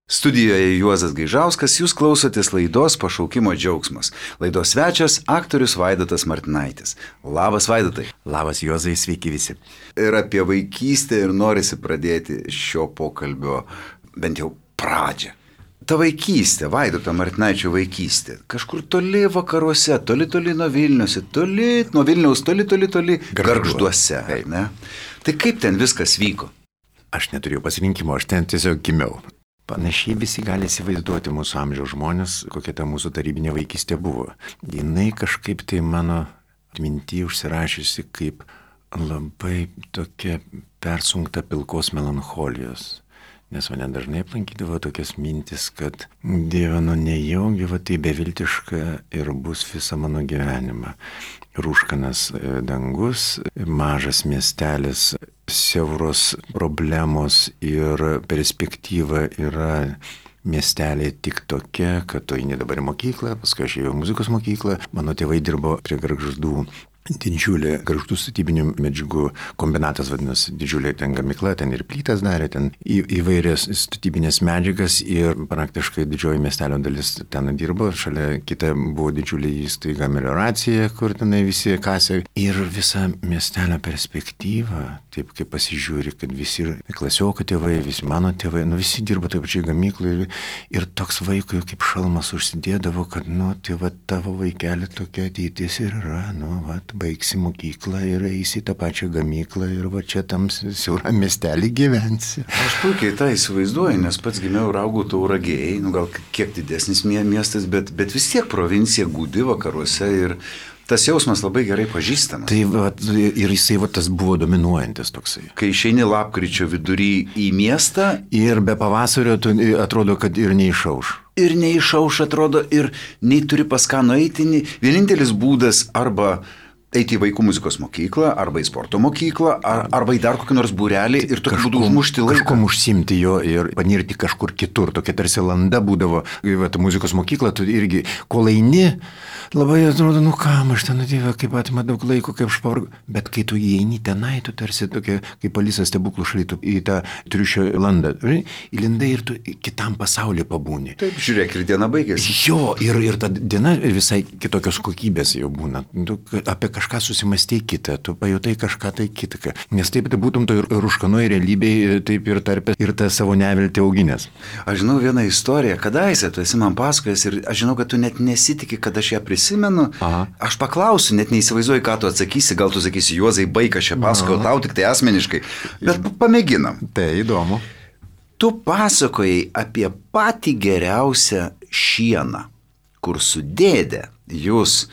Studijoje Juozas Gaižauskas, jūs klausotės laidos Pašaukimo džiaugsmas. Laidos svečias aktorius Vaidotas Martinaitis. Labas Vaidotai. Labas Juozai, sveiki visi. Ir apie vaikystę ir norisi pradėti šio pokalbio bent jau pradžią. Ta vaikystė, Vaidoto Martinaičio vaikystė, kažkur toli vakaruose, toli nuo Vilniaus, nuo Vilniaus, toli Gargžduose. Ne? Tai kaip ten viskas vyko? Aš neturėjau pasirinkimo, aš ten tiesiog gimiau. Panašiai visi gali įsivaizduoti mūsų amžiaus žmonės, kokia ta mūsų tarybinė vaikystė buvo. Jinai kažkaip tai mano atminty užsirašiusi kaip labai tokia persunkta pilkos melancholijos. Nes mane dažnai aplankydavo tokias mintis, kad Dieve, nejaugi va tai beviltiška ir bus visą mano gyvenimą. Rūškanas dangus, mažas miestelis, siauros problemos ir perspektyva yra miestelė tik tokia, kad tu eini dabar į mokyklą, paskui aš ėjau į muzikos mokyklą, mano tėvai dirbo prie Gargždų. Didžiulė Gargždų statybinių medžiagų kombinatas vadinasi, didžiulė ten gamykla, ten ir plytas darė, ten įvairias statybinės medžiagas ir praktiškai didžioji miestelio dalis ten dirbo, šalia kita buvo didžiulė įstaiga melioracija, kur tenai visi kasė. Ir visa miestelio perspektyva, taip kaip pasižiūri, kad visi klasiokai tėvai, visi mano tėvai, visi dirbo taip pačiai gamykloje ir toks vaikui kaip šalmas užsidėdavo, kad tai va tavo vaikelė tokia ateitis ir yra, baigsi mokyklą ir eisi tą pačią gamyklą ir va čia tam siauram miestelį gyvensi. Aš puikiai tą įsivaizduoju, nes pats gimiau ir augau Tauragėj, gal kiek didesnis miestas, bet vis tiek provincija gūdi vakaruose ir tas jausmas labai gerai pažįstamas. Tai ir jisai tas buvo dominuojantis toksai. Kai išeini lapkričio vidury į miestą ir be pavasario atrodo, kad ir neišauš. Ir neišauš atrodo, ir nei turi pas ką nueiti. Vienintelis būdas arba eiti į vaikų muzikos mokyklą, arba į sporto mokyklą, arba į dar kokį nors būrelį ir tokiu būdu užmušti laiką. Kažkom užsimti jo ir panirti kažkur kitur. Tokia tarsi landa būdavo. Muzikos mokykla, tu irgi, kol eini, labai atrodo, kam aš ten atėjau, kaip atima daug laiko, kaip aš pavargu. Bet kai tu įeini tenai, tu tarsi tokia, kaip Alisa stebuklų šalytų į tą triušio landą. Įlindai ir tu kitam pasaulyje pabūni. Taip, žiūrėk, ir diena baigėsi. Jo, ir ta diena visai kitokios kokybės jau būna. Apie kažką susimastei kitą, tu pajutai kažką tai kitą. Nes taip tai būtum to ir rūškanoj realybėje, taip ir tarp ir tą savo neviltį auginės. Aš žinau vieną istoriją, kadaise tu esi man pasakojęs ir aš žinau, kad tu net nesitikė, kad aš ją prisimenu. Aha. Aš paklausiu, net neįsivaizduoju, ką tu atsakysi, gal tu sakysi, Juozai, baik, aš čia pasakojau tau tik tai asmeniškai, bet pamėginam. Tai įdomu. Tu pasakojai apie patį geriausią šieną, kur su dėde jūs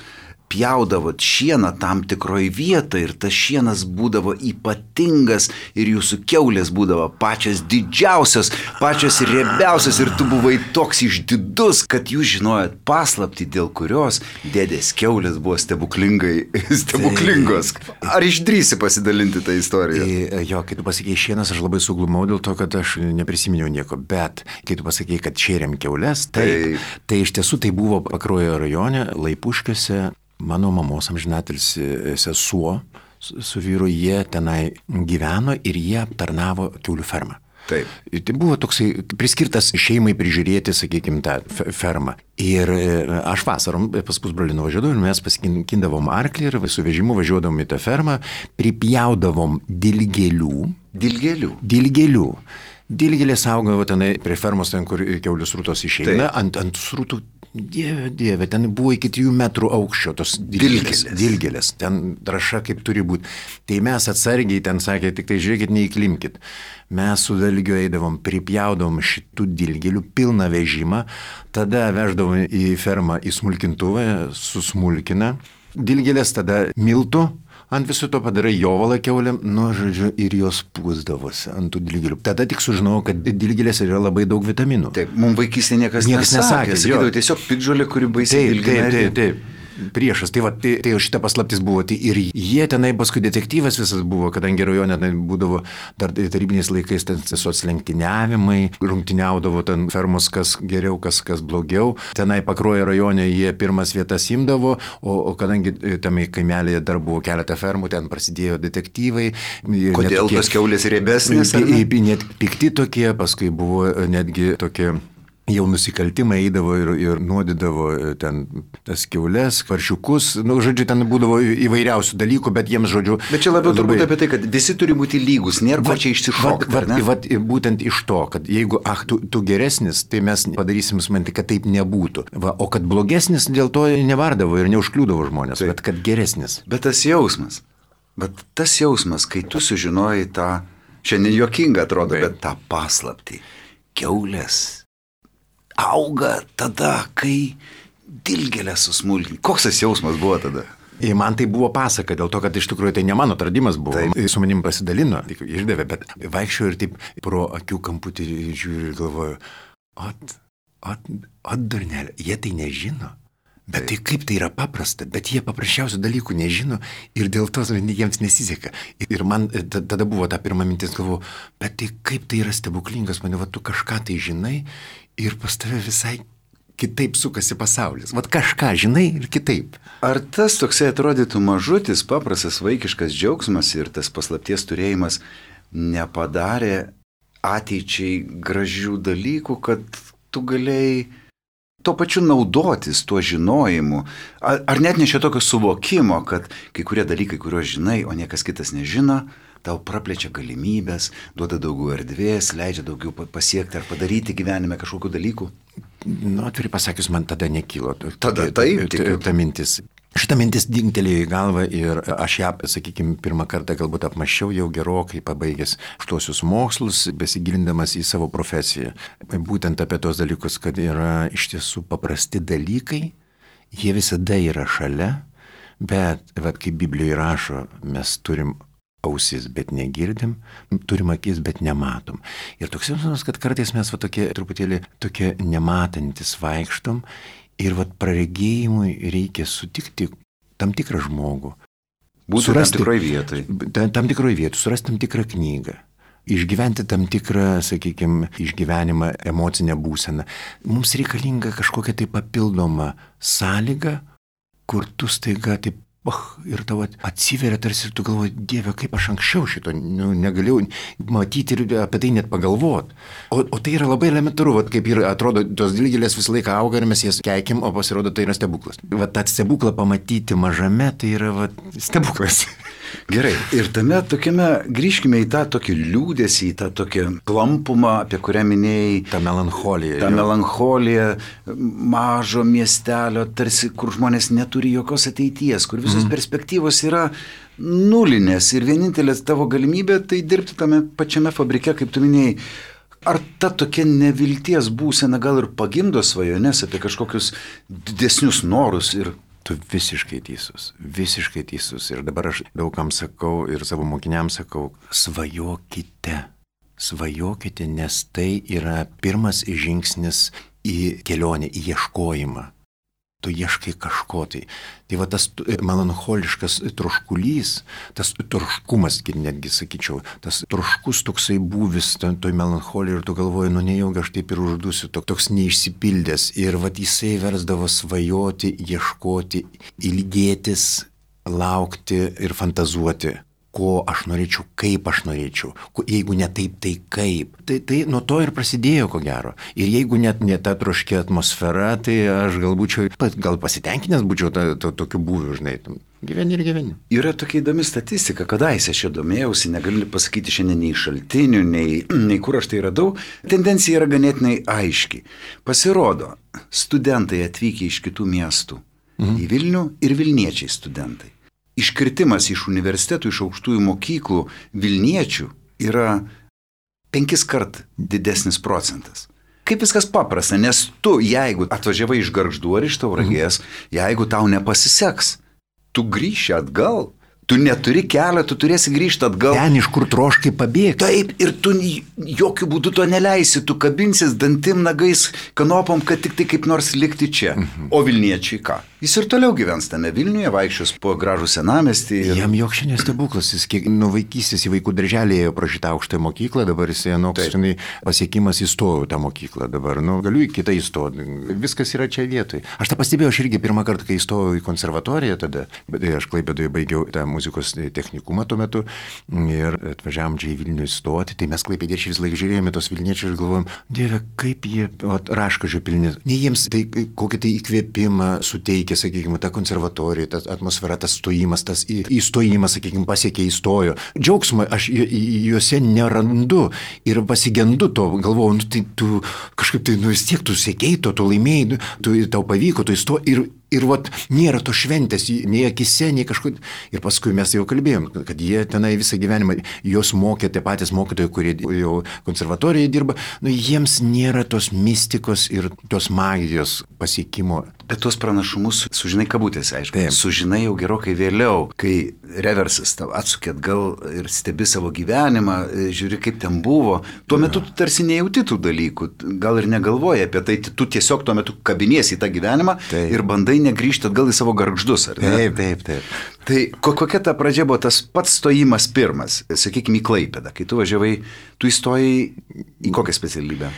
pjaudavot šieną tam tikroj vietoje ir tas šienas būdavo ypatingas ir jūsų kiaulės būdavo pačios didžiausios, pačios riebiausios ir tu buvai toks išdidus, kad jūs žinojot paslaptį, dėl kurios dėdės kiaulės buvo stebuklingos. Ar išdrįsi pasidalinti tą istoriją? Jo, kai tu pasakėjai šienas, aš labai suglumau dėl to, kad aš neprisiminiau nieko, bet kai tu pasakėjai, kad šėrėm kiaulės, tai iš tiesų tai buvo Pakruojo rajone, Laipuškiuose. Mano mamos amžinatilsį sesuo su vyru, jie tenai gyveno ir jie aptarnavo kiaulių fermą. Taip. Tai buvo toksai priskirtas šeimai prižiūrėti, sakykime, tą fermą. Ir aš vasarom pas pusbrolį nuvažiuodavau ir mes pasikindavom arklį ir su vežimu važiuodavom į tą fermą, pripjaudavom dilgėlių. Dilgėlės augavo tenai prie fermos, ten, kur kiaulių srutos išeina, ant srutų. Dieve, ten buvo iki 3 metrų aukščio tos dilgėlės, ten traša kaip turi būti. Tai mes atsargiai ten sakė, tik tai žiūrėkit, neįklimkit. Mes su dalgiu eidavom, pripjaudavom šitų dilgėlių pilną vežimą, tada veždavom į fermą į smulkintuvą, susmulkina. Dilgėlės tada miltų. Ant viso to padarai jovalą kiaulėm, žodžiu, ir jos pūsdavosi ant tų dilgėlių. Tada tik sužinojau, kad dilgėlės yra labai daug vitaminų. Taip, mums vaikystėje niekas nesakė. Sakydavo tiesiog piktžolė, kuri baisiai dilgėlė. Taip. priešas. Tai šita paslaptis buvo. Tai ir jie tenai paskui detektyvas visas buvo, kadangi rajone būdavo dar tarybiniais laikais soclenktyniavimai, rungtyniaudavo ten fermos, kas geriau, kas blogiau. Tenai Pakruojo rajone jie pirmas vietas imdavo, o kadangi tame kaimelėje dar buvo keletą fermų, ten prasidėjo detektyvai. Kodėl tos kiaulės riebesnės? Net pikti tokie, paskui buvo netgi tokie jau nusikaltimai eidavo ir nuodydavo ten tas kiaulės, paršiukus, žodžiu, ten būdavo įvairiausių dalykų, bet jiems, žodžiu... Bet čia labiau turbūt apie tai, kad visi turi būti lygus, nėra ko čia išsišokti. Būtent iš to, kad jeigu, tu geresnis, tai mes padarysim sumanti, kad taip nebūtų. O kad blogesnis, dėl to nevardavo ir neužkliūdavo žmonės, bet kad geresnis. Bet tas jausmas, kai tu sužinojai tą, šiandien juokinga atrodo, bet tą paslaptį, kiaulės auga tada, kai dilgėlę susmulkini. Koks tas jausmas buvo tada? Ir man tai buvo pasaka, dėl to, kad iš tikrųjų tai ne mano atradimas buvo. Taip. Su manim pasidalino, išdavė, bet vaikščiau ir taip pro akių kamputį žiūriu ir galvoju, Darnelė, jie tai nežino. Bet tai kaip tai yra paprasta, bet jie paprasčiausių dalykų nežino ir dėl to jiems nesiseka. Ir man tada buvo ta pirma mintis, galvoju, bet tai kaip tai yra stebuklingas, mane, tu kažką tai žinai ir pas tave visai kitaip sukasi pasaulis. Kažką žinai ir kitaip. Ar tas toksai atrodytų mažutis, paprastas vaikiškas džiaugsmas ir tas paslapties turėjimas nepadarė ateičiai gražių dalykų, kad tu galėjai tuo pačiu naudotis tuo žinojimu? Ar net nešia tokio suvokimo, kad kai kurie dalykai, kuriuos žinai, o niekas kitas nežino, tau praplečia galimybės, duoda daugiau erdvės, leidžia daugiau pasiekti ar padaryti gyvenime kažkokių dalykų? Atvirai pasakius, man tada nekilo. Ta mintis. Šitą mintis dingtelėjo į galvą ir aš ją, sakykime, pirmą kartą galbūt apmaščiau jau gerokai pabaigęs aukštuosius mokslus, besigilindamas į savo profesiją. Būtent apie tos dalykus, kad yra iš tiesų paprasti dalykai, jie visada yra šalia, bet, kaip Biblijoje rašo, mes turim ausis, bet negirdim, turim akis, bet nematom. Ir toks jausmas, kad kartais mes truputėlį tokie nematantis vaikštom, ir praregėjimui reikia sutikti tam tikrą žmogų. Būti tam tikroje vietoje. Tam tikroje vietoje, surasti tam tikrą knygą. Išgyventi tam tikrą, sakykime, išgyvenimą, emocinę būseną. Mums reikalinga kažkokia tai papildoma sąlyga, kur tu staiga taip ir tavo atsiveria tarsi ir tu galvoji, Dieve, kaip aš anksčiau šito negalėjau matyti ir apie tai net pagalvoti. O tai yra labai elementaru, kaip ir atrodo, tos dilgėlės visą laiką auga ir mes jas keikim, o pasirodo tai yra stebuklas. Tą stebuklą pamatyti mažame, tai yra stebuklas. Gerai, ir tame tokiame, grįžkime į tą tokį liūdesį, į tą tokį klampumą, apie kurią minėjai. Ta melancholija. Ta melancholija mažo miestelio, tarsi kur žmonės neturi jokios ateities, kur visos perspektyvos yra nulinės ir vienintelės tavo galimybė tai dirbti tame pačiame fabrike, kaip tu minėjai. Ar ta tokia nevilties būsena gal ir pagimdo svajones apie kažkokius didesnius norus ir... Tu visiškai teisus. Ir dabar aš daugam sakau ir savo mokiniams sakau, svajokite, nes tai yra pirmas žingsnis į kelionę, į ieškojimą. Tu ieškai kažko tai. Tai tas melancholiškas troškulys, tas troškumas, netgi sakyčiau, tas troškus toksai būvis toj melancholijai ir tu galvoji, nejaugi aš taip ir uždusiu, toks neišsipildęs. Ir jisai versdavo svajoti, ieškoti, ilgėtis, laukti ir fantazuoti. Ko aš norėčiau, kaip aš norėčiau, jeigu ne taip, tai kaip. Tai nuo to ir prasidėjo, ko gero. Ir jeigu net ne ta troškia atmosfera, tai aš gal pasitenkinęs būčiau tokiu būviu, žinai, gyveni ir gyveni. Yra tokia įdomi statistika, kadaise aš domėjausi, negaliu pasakyti šiandien nei šaltinių, nei kur aš tai radau. Tendencija yra ganėtinai aiški. Pasirodo, studentai atvykę iš kitų miestų į Vilnių ir vilniečiai studentai. Iškritimas iš universitetų, iš aukštųjų mokyklų Vilniečių yra 5 kart didesnis procentas. Kaip viskas paprasta, nes tu, jeigu atvažiavai iš Gargždų ar iš Tauragės, jeigu tau nepasiseks, tu grįši atgal. Tu neturi kelio, tu turėsi grįžti atgal. Ten, iš kur troškai pabėgti. Taip, ir tu jokių būdų to neleisi, tu kabinsis dantim, nagais, kanopom, kad tik tai kaip nors likti čia. O Vilniečiai ką? Jis ir toliau gyvens tame Vilniuje, vaikščios po gražų senamiestį. Jam joks šiandien stebuklas, jis kiek nuo vaikystės į vaikų darželį ėjo pro šitą aukštąją mokyklą, dabar jis anoks pasiekimas įstojau tą mokyklą dabar, galiu į kitą įstoti, viskas yra čia vietoj. Aš tą pastebėjau, aš irgi pirmą kartą, kai įstojau į konservatoriją tada, bet aš Klaipėdoje baigiau tą muzikos technikumą tuo metu ir atvažiavom čia į Vilnių įstoti, tai mes klaipėdiečiai vis laik žiūrėjome tos vilniečius ir galvojom, Dieve, kaip jie raškažio pilni. Ne jiems tai kokį tai įkvėpimą suteikia, sakykime, ta konservatorija, ta atmosfera, tas stojimas, tas įstojimas, sakykime, pasiekė įstojo. Džiaugsmą aš juose nerandu ir pasigendu to, galvoju, tai tu kažkaip tai, vis tiek tu sėkėjai to, tu laimėjai, tau pavyko, tu įstoji ir vat nėra to šventės, nei akise, nei kažkur. Ir paskui mes jau kalbėjom, kad jie tenai visą gyvenimą, jos mokė tie patys mokytojai, kurie jau konservatorijoje dirba, jiems nėra tos mistikos ir tos magijos pasiekimo. Bet tuos pranašumus sužinai kabutėse, aišku. Taip. Sužinai jau gerokai vėliau, kai reversas tau atsukė atgal ir stebi savo gyvenimą, žiūri, kaip ten buvo. Tuo metu tu tarsi nejauti tų dalykų, gal ir negalvoji apie tai, tu tiesiog tuo metu kabiniesi į tą gyvenimą. Taip. Ir bandai negrįžti atgal į savo gargždus, ar ne? Taip. Tai kokia ta pradžia buvo tas pats stojimas pirmas, sakykime, į Klaipėdą, kai tu važiavai, tu įstojai į kokią specialybę?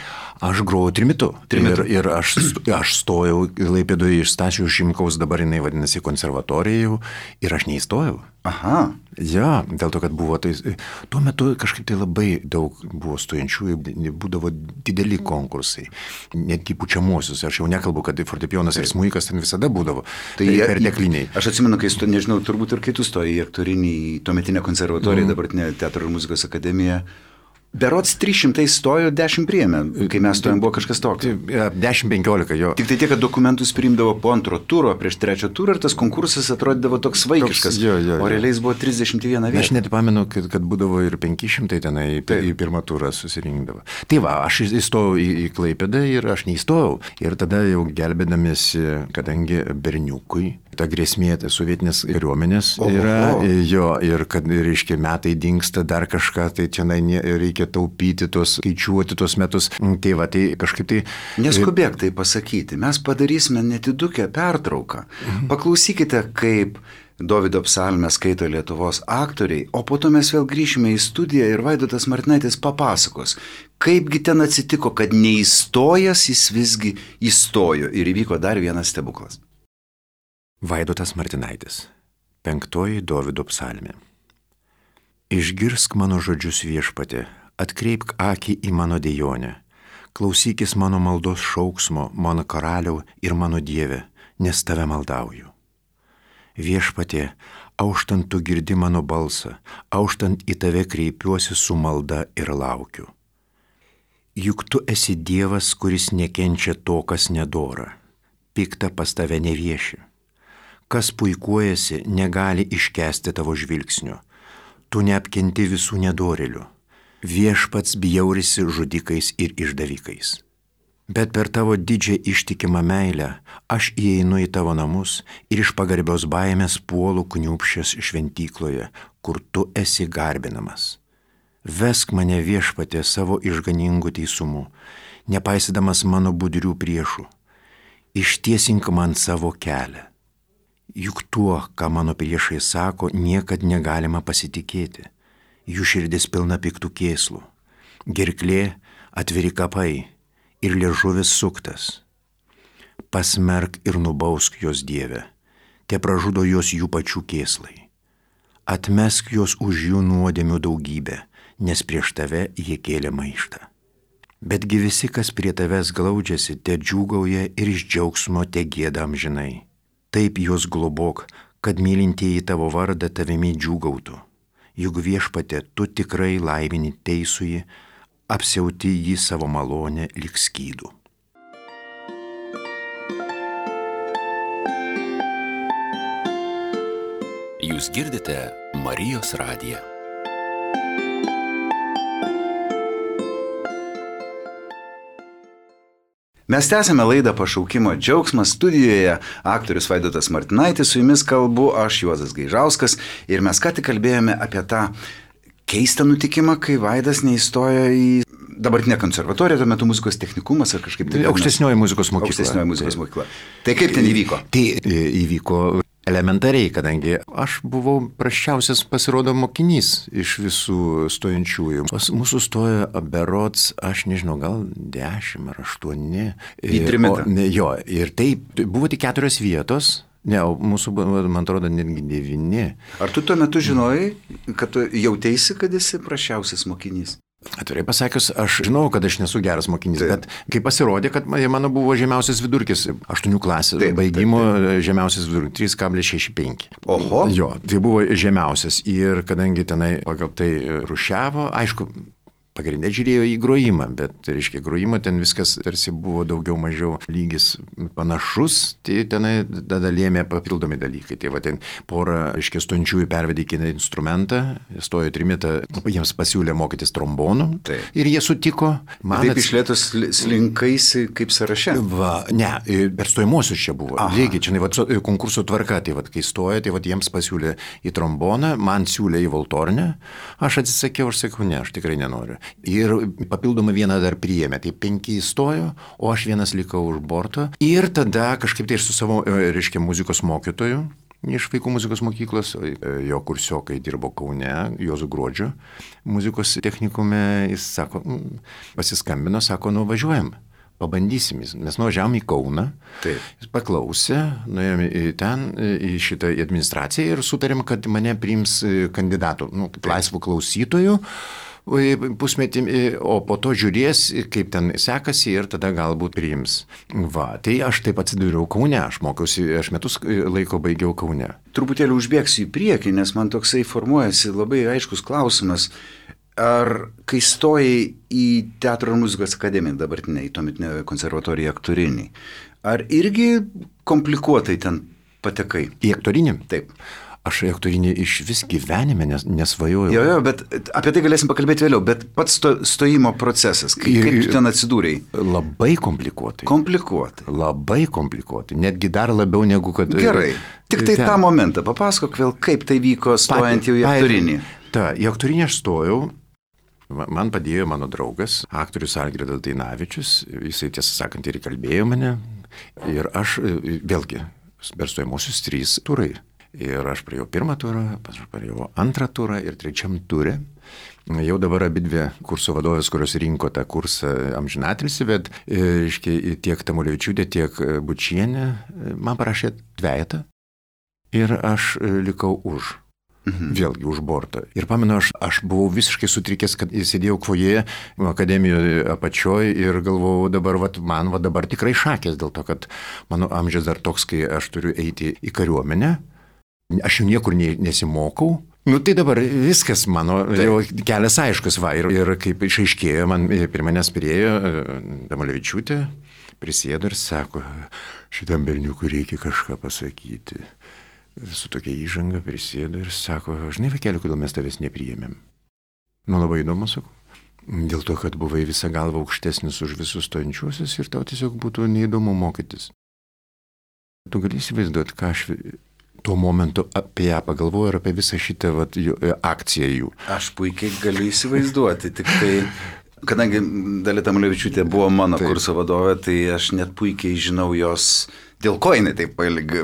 Aš grojau trimitu. Ir aš stojau Klaipėdoje iš Stasio Šimkaus, dabar jinai vadinasi konservatorijų, ir aš neįstojau. Aha. Ja, dėl to, kad buvo, tuo metu kažkaip tai labai daug buvo stojančiųjų, būdavo dideli konkursai, netgi pučiamuosius, aš jau nekalbu, kad fortepijonas ir smuikas ten visada būdavo, tai pertekliniai. Aš atsimenu, kai nežinau, turbūt ir kai tu stojai į aktorinį, tuometinę konservatoriją, dabartinę Teatro ir muzikos akademiją. Berods 300 stojo, 10 priėmė, kai mes stojom, buvo kažkas tokio. 10-15, jo. Tik tai tiek, kad dokumentus priimdavo po antro turo, prieš trečią turą ir tas konkursas atrodydavo toks vaikiškas, o realiai buvo 31 vieta. Aš net pamenu, kad būdavo ir 500 tenai į pirmą turą susirinkdavo. Tai va, aš įstojau į Klaipėdą ir aš neįstojau. Ir tada jau gelbėdamėsi, kadangi berniukui, ta grėsmė sovietinės kariuomenės yra, ir kad, reiškia, metai dingsta dar kažką, tai čia reikia taupyti skaičiuoti tos metus. Tai va, tai kažkaip tai... Neskubėk tai pasakyti, mes padarysime nedidukę pertrauką. Paklausykite, kaip Dovydo psalmę skaito Lietuvos aktoriai, o po to mes vėl grįšime į studiją ir Vaidotas Martinaitis papasakos, kaipgi ten atsitiko, kad neįstojęs jis visgi įstojo ir įvyko dar vienas stebuklas. Vaidotas Martinaitis, 5 Dovydo psalmė. Išgirsk mano žodžius, Viešpatie, atkreipk akį į mano dejonę, klausykis mano maldos šauksmo, mano karaliau ir mano Dieve, nes tave maldauju. Viešpatie, auštant tu girdi mano balsą, auštant į tave kreipiuosi su malda ir laukiu. Juk tu esi Dievas, kuris nekenčia to, kas nedora, pikta pas tave nevieši. Kas puikuojasi, negali iškęsti tavo žvilgsnio. Tu neapkenti visų nedorėlių. Viešpats bjaurisi žudikais ir išdavikais. Bet per tavo didžią ištikimą meilę aš įeinu į tavo namus ir iš pagarbios baimės puolu kniūpsčias šventykloje, kur tu esi garbinamas. Vesk mane, Viešpatie, savo išganingų teisumu, nepaisydamas mano budrių priešų. Ištiesink man savo kelią. Juk tuo, ką mano priešai sako, niekad negalima pasitikėti. Jų širdis pilna piktų kėslų. Gerklė atviri kapai ir liežuvis suktas. Pasmerk ir nubausk jos, Dieve, te pražudo jos jų pačių kėslai. Atmesk jos už jų nuodėmių daugybę, nes prieš tave jie kėlė maištą. Betgi visi, kas prie tavęs glaudžiasi, te džiūgauja ir iš džiaugsmo te gieda amžinai. Taip juos globok, kad mylintieji tavo vardą tavimi džiūgautų. Juk, Viešpatie, tu tikrai laimini teisųjį, apsiauti jį savo malonę lyg skydų. Jūs girdite Marijos radiją. Mes tęsime laidą Pašaukimo džiaugsmas, studijoje aktorius Vaidotas Martinaitis, su jumis kalbu aš, Juozas Gaižauskas, ir mes ką tik kalbėjome apie tą keistą nutikimą, kai Vaidas neįstojo į dabartinė konservatorija, tuo metu muzikos technikumas ar kažkaip tai. Aukštesnioji muzikos mokykla. Aukštesnioji muzikos mokykla. Tai kaip ten įvyko? Tai įvyko elementariai, kadangi aš buvau prasčiausias pasirodo mokinys iš visų stojančiųjų. Mūsų stojo berods, aš nežinau, gal 10 ar 8. Į trimetą. Jo, ir tai buvo tik 4 vietos. Ne, mūsų, man atrodo, netgi 9. Ar tu tuo metu žinojai, kad tu jautėsi, kad esi prasčiausias mokinys? Atvirai pasakius, aš žinau, kad aš nesu geras mokinys, bet kai pasirodė, kad mano buvo žemiausias vidurkis 8 klasės, baigimo žemiausias vidurkis 3,65. Oho. Jo, tai buvo žemiausias ir kadangi tenai pagal tai rušiavo, aišku, pagrindė žiūrėjo į grojimą, bet, reiškia, grojimo ten viskas tarsi buvo daugiau mažiau lygis panašus, tai tenai tada lėmė papildomi dalykai. Tai va ten porą, reiškia, stojančiųjų pervedė į kitą instrumentą, stojo trimitą, jiems pasiūlė mokytis trombonų ir jie sutiko. Taip išlėtos slinkaisi kaip sąraše? Va, ne, per stojimuosius čia buvo. Lygiai, čia va, konkurso tvarka, tai va, kai stojo, tai va, jiems pasiūlė į tromboną, man siūlė į valtornę, aš atsisakiau, aš sakau, ne, aš tikrai nenoriu. Ir papildomą vieną dar priėmė, tai 5 įstojo, o aš vienas likau už borto. Ir tada kažkaip tai aš su savo, reiškia, muzikos mokytoju iš vaikų muzikos mokyklos, jo kursiokai dirbo Kaune, Juozo Gruodžio muzikos technikume, jis sako, pasiskambino, sako, važiuojam. Pabandysim, mes nuvažiavom į Kauną, jis paklausė, nuėjome ten į šitą administraciją ir sutarėm, kad mane priims kandidatų, kaip laisvų klausytojų pusmetį, o po to žiūrės, kaip ten sekasi ir tada galbūt priims. Va, tai aš taip atsidūriau Kaune, aš mokiausi, aš metus laiko baigiau Kaune. Truputėlį užbėgsiu į priekį, nes man toksai formuojasi labai aiškus klausimas. Ar kai stojai į Teatro ir muzikos akademiją dabartinę, į tuometinę konservatoriją aktorinį, ar irgi komplikuotai ten patekai? Į aktorinį? Taip. Aš į aktorinį iš vis gyvenime nesvajojau. Jo, bet apie tai galėsim pakalbėti vėliau, bet pats stojimo procesas, kaip tu ten atsidūrei? Labai komplikuotai. Komplikuotai. Labai komplikuotai, netgi dar labiau negu kad... Gerai, tik tai tą momentą, papasakok vėl, kaip tai vyko stojant jau į aktorinį. Į aktorinį aš stojau. Man padėjo mano draugas, aktorius Algirdas Dainavičius, jisai tiesą sakant ir įkalbėjo mane. Ir aš vėlgi, per stojimuosius 3 turai. Ir aš praėjau 1 turą, praėjau 2 turą ir 3 turė. Jau dabar abidvi kurso vadovės, kurios rinko tą kursą amžinatilsį, bet tiek Tamulevičiūtė, tiek Bučienė man parašė 2 ir aš likau už. Vėlgi už bortą. Ir pamenu, aš buvau visiškai sutrikęs, kad sėdėjau foje akademijoje apačioje ir galvojau dabar, man dabar tikrai šakės dėl to, kad mano amžius dar toks, kai aš turiu eiti į kariuomenę. Aš jau niekur nesimokau. Tai dabar viskas mano jau kelias aiškus, ir kaip išaiškėjo, man prie manęs priejo Tamulevičiūtė, prisėdo ir sako, šitam berniukui reikia kažką pasakyti. Su tokia įžanga prisėdo ir sako, žinai, vaikeli, kodėl mes tavęs nepriėmėm. Labai įdomu, sakau. Dėl to, kad buvai visą galvą aukštesnis už visus stojančiuosius ir tau tiesiog būtų neįdomu mokytis. Tu gali įsivaizduoti, ką aš tuo momentu apie ją pagalvoju ir apie visą šitą akciją jų. Aš puikiai galiu įsivaizduoti, tik tai, kadangi Dalia Tamulevičiūtė buvo mano kurso vadovė, tai aš net puikiai žinau jos, dėl ko jinai taip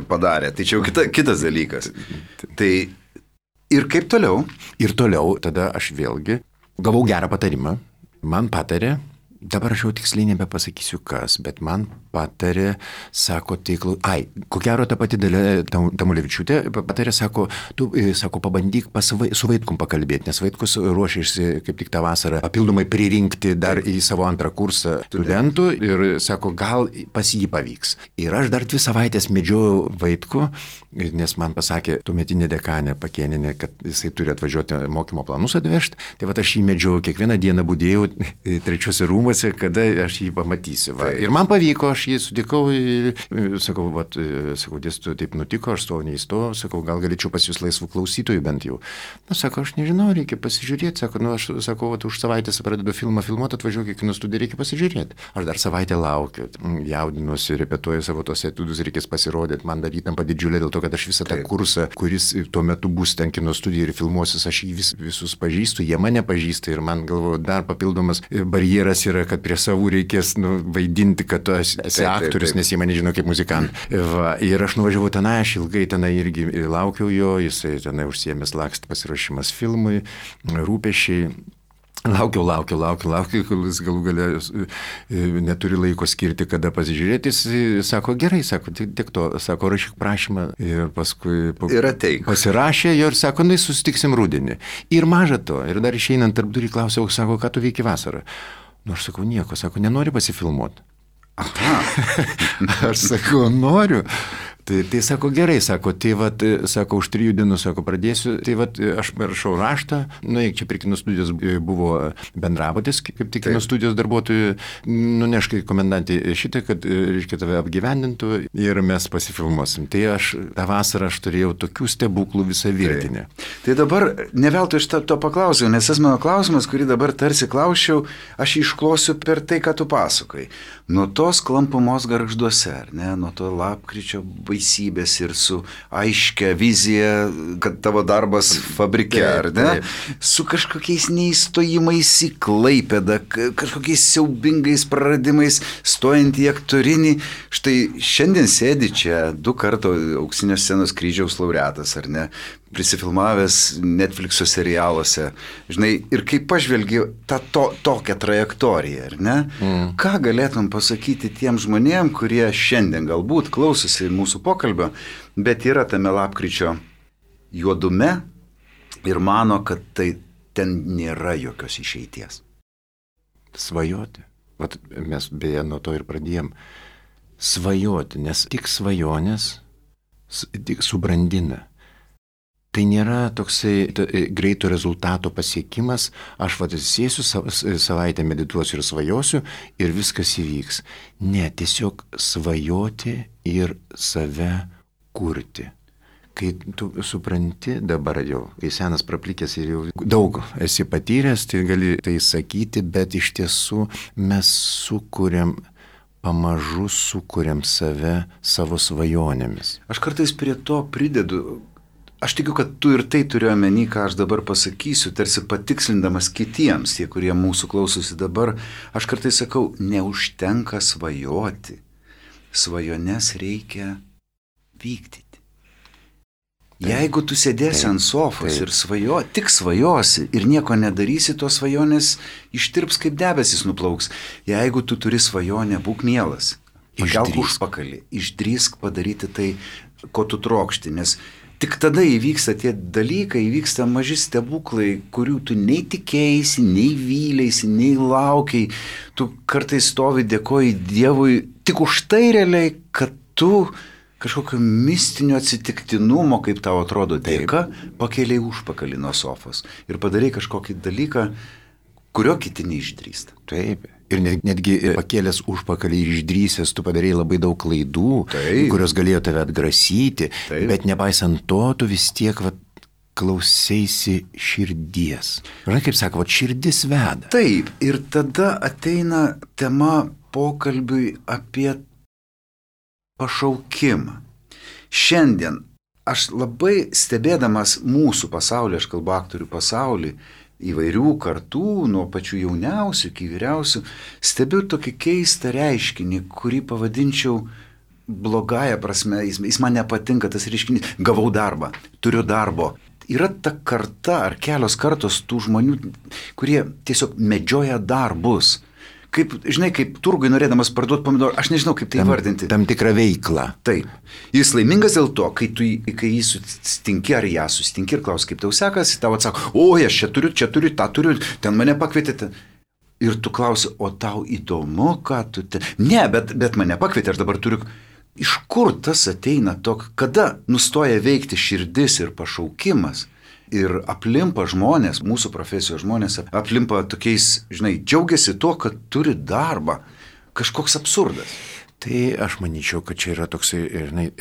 padarė. Tai čia jau kitas dalykas. Tai ir kaip toliau? Ir toliau tada aš vėlgi gavau gerą patarimą. Man patarė, dabar aš jau tiksliai nebepasakysiu kas, bet man patarė, sako, ko gero ta pati Dalia Tamulevičiūtė patarė, sako, tu, pabandyk su Vaitkum pakalbėti, nes Vaitkus ruošiasi kaip tik tą vasarą papildomai pririnkti dar į savo 2 kursą studentų ir sako, gal pas jį pavyks. Ir aš dar 2 savaitės medžiojau Vaitkų, nes man pasakė tuometinė dekanė Pakėnienė, kad jisai turi atvažiuoti mokymo planus atvežti. Tai aš jį medžiojau, kiekvieną dieną budėjau 3 rūmuose rūmuose, kada aš jį pamatysiu. Va. Ir man pavyko, aš jį sutikau ir sakau, dėstytoju, taip nutiko, aš stovau neįstojau, sakau, gal galėčiau pas jūs laisvų klausytojų bent jau. Na, sako, aš nežinau, reikia pasižiūrėti, sako, aš sakau, už savaitės pradedu filmą filmuoti, atvažiuoju į kino studiją, reikia pasižiūrėti. Aš dar savaitę laukiu, jaudinuosi, repetuoju savo tos etudus, reikės pasirodyti, man dar įtampa didžiulė dėl to, kad aš visą tą kursą, kuris tuo metu bus ten kino studija ir filmuosis, aš jį visus pažįstu, jie mane pažįsta ir man galvoju, dar papildomas barjeras yra, kad prie savų reikės vaidinti, kad tu esi aktorius, nes jie mane žino kaip muzikantą. Ir aš nuvažiavau tenai, aš ilgai tenai irgi laukiau jo, jisai tenai užsiėmęs lakstą pasiruošimas filmui, rūpešiai. Laukiau, kol jis galų galę neturi laiko skirti, kada pasižiūrėti. Jis sako, gerai, sako, tik to, sako, rašyk prašymą ir paskui pasirašė jo ir sako, susitiksim rudenį. Ir maža to, ir dar išeinant tarp durų klausiau, sako, ką tu veiki vasarą? Aš sakau, nieko, sako, nenori pasifilmuoti. Aš sakau, noriu. Tai sako, gerai, sako, sako, už 3 dienų, sako, pradėsiu, aš rašau raštą, čia prie kino studijos buvo bendrabutis, kaip tik kino studijos darbuotojų, nuneškai komendantį šitą, kad, reiškia, tave apgyvendintų ir mes pasifilmuosim. Tai aš tą vasarą turėjau tokių stebuklų visą virtinę. Tai dabar neveltui iš to paklausiau, nes tas mano klausimas, kurį dabar tarsi klausčiau, aš išklosiu per tai, ką tu pasakoji. Nuo tos klampumos gargžduose, ar ne, nuo to lapkričio baisybės ir su aiškia vizija, kad tavo darbas fabrike, ar ne, su kažkokiais neįstojimais į Klaipėdą, kažkokiais siaubingais praradimais, stojant į aktorinį. Štai šiandien sėdi čia 2 karto Auksinio scenos kryžiaus laureatas, ar ne, prisifilmavęs Netflix'o serialuose, žinai, ir kai pažvelgi tokią trajektoriją, ar ne, ką galėtum pasakyti tiem žmonėm, kurie šiandien galbūt klausosi mūsų pokalbio, bet yra tame lapkričio juodume ir mano, kad tai ten nėra jokios išeities. Svajoti. Vat mes beje nuo to ir pradėjom. Svajoti, nes tik svajonės tik subrandina. Tai nėra toksai greito rezultato pasiekimas, aš sėsiu savaitę, medituosiu ir svajosiu ir viskas įvyks. Ne, tiesiog svajoti ir save kurti. Kai tu supranti dabar jau, kai senas praplikęs ir jau daug esi patyręs, tai gali tai sakyti, bet iš tiesų mes pamažu sukuriam save savo svajonėmis. Aš kartais prie to pridedu. Aš tikiu, kad tu ir tai turiu omeny, ką aš dabar pasakysiu, tarsi patikslindamas kitiems, tie, kurie mūsų klausosi dabar. Aš kartais sakau, neužtenka svajoti. Svajones reikia vykdyti. Jeigu tu sėdėsi ant sofos ir tik svajosi ir nieko nedarysi, tos svajonės ištirps kaip debesis nuplauks. Jeigu tu turi svajonę, būk mielas. Pakelk užpakalį, išdrįsk padaryti tai, ko tu trokšti, nes tik tada įvyksta tie dalykai, įvyksta maži stebuklai, kurių tu nei tikėjai, nei vylėsi, nei laukiai. Tu kartais stovi, dėkoji Dievui tik už tai realiai, kad tu kažkokio mistinio atsitiktinumo, kaip tau atrodo dėka, pakėlėjai užpakalį nuo sofos ir padarai kažkokį dalyką, kurio kiti neišdrįsta. Taip. Ir netgi pakėlęs užpakalį ir išdrįsęs, tu padarei labai daug klaidų, kurios galėjo tave atgrasyti, bet nepaisant to, tu vis tiek klausėsi širdies. Žinai, kaip sako, širdis veda. Taip, ir tada ateina tema pokalbiui apie pašaukimą. Šiandien aš labai stebėdamas mūsų pasaulį, aš kalbu aktorių pasaulį, įvairių kartų, nuo pačių jauniausių iki vyriausių, stebiu tokį keistą reiškinį, kurį pavadinčiau blogąją prasme, jis man nepatinka tas reiškinys, gavau darbą, turiu darbo. Yra ta karta ar kelios kartos tų žmonių, kurie tiesiog medžioja darbus. Kaip, žinai, kaip turgui norėdamas parduoti pomidorą, aš nežinau, kaip tai vardinti. Tam tikrą veiklą. Taip. Jis laimingas dėl to, kai jį sustinki ar ją sustinki ir klausi, kaip tau sekasi, tau atsako, aš čia turiu, tą turiu, ten mane pakvietėte. Ir tu klausi, o tau įdomu, ką tu ten... Ne, bet mane pakvietė, aš dabar turiu... Iš kur tas ateina kada nustoja veikti širdis ir pašaukimas ir aplimpa žmonės, mūsų profesijos žmonės aplimpa tokiais, džiaugiasi tuo, kad turi darbą. Kažkoks absurdas. Tai aš manyčiau, kad čia yra toksai,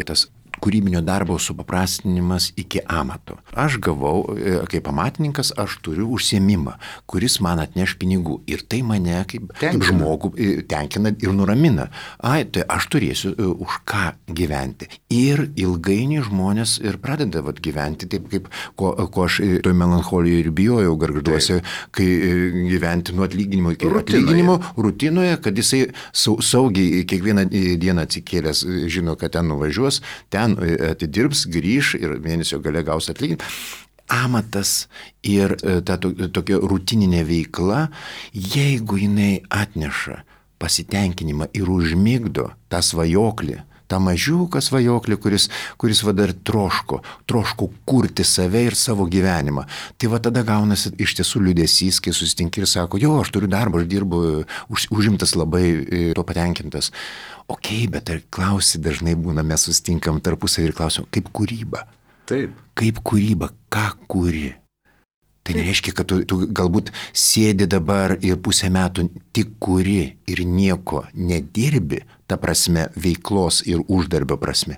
tas kūrybinio darbo supaprastinimas iki amato. Aš gavau, kaip amatininkas, aš turiu užsiėmimą, kuris man atneš pinigų. Ir tai mane kaip žmogų tenkina ir nuramina. Tai aš turėsiu už ką gyventi. Ir ilgainiui žmonės ir pradeda gyventi taip, kaip ko aš toj melancholijoje ir bijojau gargžduose, kai gyventi nuo atlyginimo iki atlyginimo rutinoje, kad jisai saugiai kiekvieną dieną atsikėlęs žino, kad ten nuvažiuos, ten atidirbs, grįš ir mėnesio gale gaus atlyginimą. Amatas ir ta tokia rutininė veikla, jeigu jinai atneša pasitenkinimą ir užmigdo tą svajoklį, tą mažiuką svajoklį, kuris dar troško kurti save ir savo gyvenimą. Tai tada gaunasi iš tiesų liūdesys, kai susitinki ir sako, aš turiu darbą, aš dirbu, užimtas labai, to patenkintas. Bet ar klausi dažnai būna, mes susitinkam tarpusavį ir klausim, kaip kūryba? Taip. Kaip kūryba, ką kūri? Tai nereiškia, kad tu galbūt sėdi dabar ir pusę metų tik kuri ir nieko nedirbi, ta prasme veiklos ir uždarbio prasme.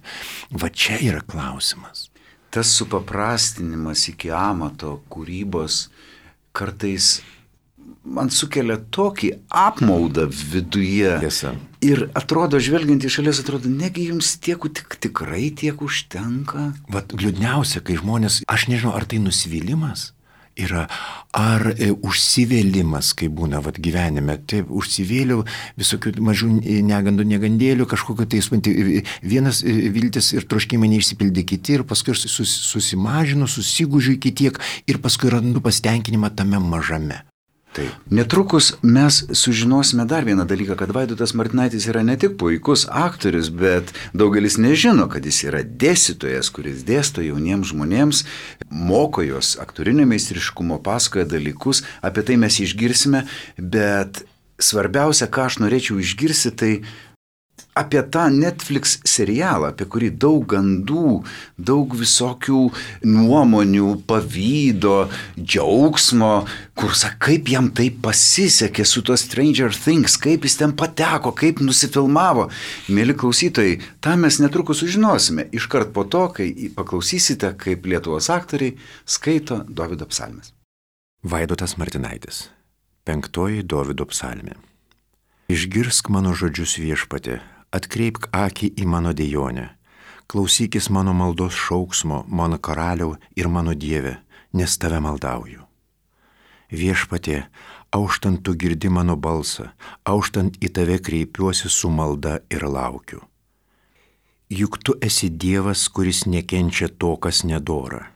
Va čia yra klausimas. Tas supaprastinimas iki amato kūrybos kartais man sukelia tokį apmaudą viduje. Tiesa. Ir atrodo, žvelgiant iš šalies, atrodo, negi jums tikrai tiek užtenka? Liūdniausia, kai žmonės, aš nežinau, ar tai nusivylimas yra, ar užsivėlimas, kai būna gyvenime. Taip, užsivėliau visokių mažų negandėlių, kažkokio vienas viltis ir troškimai neišsipildė kiti, ir paskui susimažinu, susigužiu iki tiek, ir paskui randu pasitenkinimą tame mažame. Taip. Netrukus mes sužinosime dar vieną dalyką, kad Vaidotas Martinaitis yra ne tik puikus aktorius, bet daugelis nežino, kad jis yra dėstytojas, kuris dėsto jauniems žmonėms, moko juos aktorinio meistriškumo, pasakoja dalykus, apie tai mes išgirsime, bet svarbiausia, ką aš norėčiau išgirsti, tai apie tą Netflix serialą, apie kurį daug gandų, daug visokių nuomonių, pavydo, džiaugsmo, kur kaip jam tai pasisekė su to Stranger Things, kaip jis ten pateko, kaip nusifilmavo. Mėly klausytojai, tą mes netrukus sužinosime, iškart po to, kai paklausysite, kaip Lietuvos aktoriai skaito Dovydo psalmes. Vaidotas Martinaitis. 5 Dovydo psalmė. Išgirsk mano žodžius, Viešpatie, atkreipk akį į mano dejonę, klausykis mano maldos šauksmo, mano karaliau ir mano Dieve, nes tave maldauju. Viešpatie, auštant tu girdi mano balsą, auštant į tave kreipiuosi su malda ir laukiu. Juk tu esi Dievas, kuris nekenčia to, kas nedora,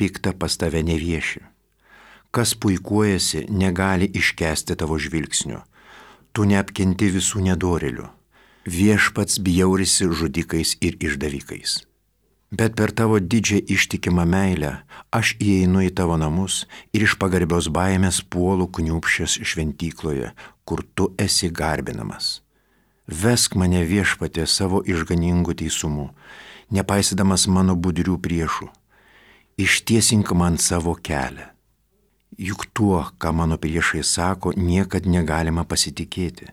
pikta pas tave nevieši. Kas puikuojasi, negali iškęsti tavo žvilgsnio. Tu neapkenti visų nedorėlių. Viešpats bjaurisi žudikais ir išdavikais. Bet per tavo didžią ištikimą meilę aš įeinu į tavo namus ir iš pagarbios baimės puolu kniūpsčias šventykloje, kur tu esi garbinamas. Vesk mane, Viešpatie, savo išganingų teisumu, nepaisydamas mano budrių priešų. Ištiesink man savo kelią. Juk tuo, ką mano priešai sako, niekad negalima pasitikėti.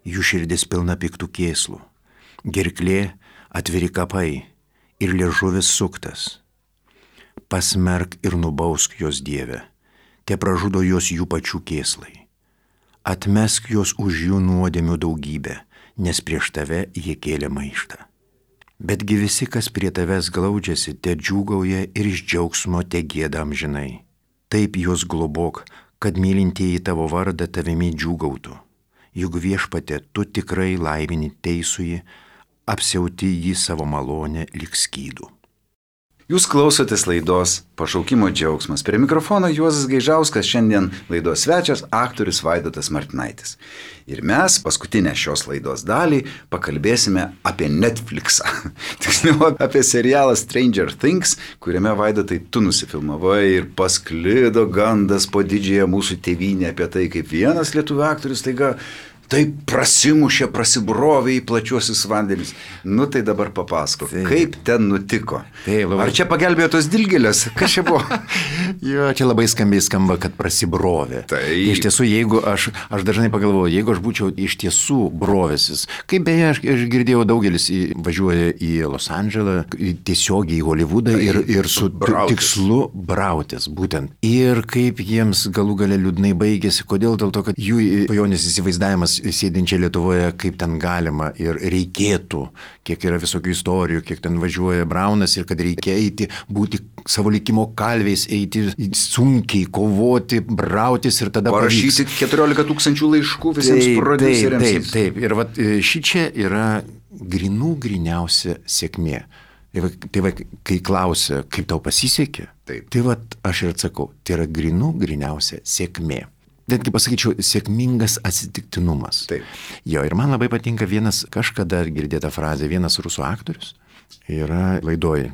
Jų širdis pilna piktų kėslų, gerklė atviri kapai ir liežuvis suktas. Pasmerk ir nubausk jos, Dieve, te pražudo jos jų pačių kėslai. Atmesk jos už jų nuodėmių daugybę, nes prieš tave jie kėlė maištą. Betgi visi, kas prie tavęs glaudžiasi, te džiūgauja ir iš džiaugsmo te gėda amžinai. Taip juos globok, kad mylintieji tavo vardą tavimi džiūgautų. Juk, Viešpatie, tu tikrai laimini teisųjį, apsiauti jį savo malonę lyg skydų. Jūs klausotės laidos Pašaukimo džiaugsmas. Prie mikrofono Juozas Gaižauskas, šiandien laidos svečias aktorius Vaidotas Martinaitis. Ir mes paskutinę šios laidos dalį pakalbėsime apie Netflixą. Tiksliau, apie serialą Stranger Things, kuriame, Vaidotai, tu nusifilmavai ir pasklido gandas po didžiąją mūsų tėvynę apie tai, kaip vienas lietuvių aktorius taiga taip prasimušė, prasibrovė į plačiuosius vandenis. Nu tai dabar papasakok, kaip ten nutiko. Ar čia pagelbėjo tos dilgėlės? Kas čia buvo? Jo, čia labai skambiai skamba, kad prasibrovė. Iš tiesų, jeigu aš dažnai pagalvoju, jeigu aš būčiau iš tiesų brovęsis, kaip beje, aš girdėjau, daugelis važiuoja į Los Andželą, tiesiogiai į Holivudą ir su tikslu brautis būtent. Ir kaip jiems galų gale liūdnai baigėsi, kodėl? Dėl to, kad jų pajonės įsivaizdavimas sėdinčia Lietuvoje, kaip ten galima ir reikėtų, kiek yra visokių istorijų, kiek ten važiuoja Braunas ir kad reikia eiti, būti savo likimo kalviais, eiti sunkiai, kovoti, brautis ir tada parašyti 14 000 laiškų visiems prodiuseriams. Taip. Ir vat šičia yra griniausia sėkmė. Tai va, kai klausia, kaip tau pasisekė, tai va, aš ir atsakau, tai yra griniausia sėkmė. Netgi pasakyčiau, sėkmingas atsitiktinumas. Taip. Jo, ir man labai patinka kažkada girdėta frazė, vienas rusų aktorius yra laidoj.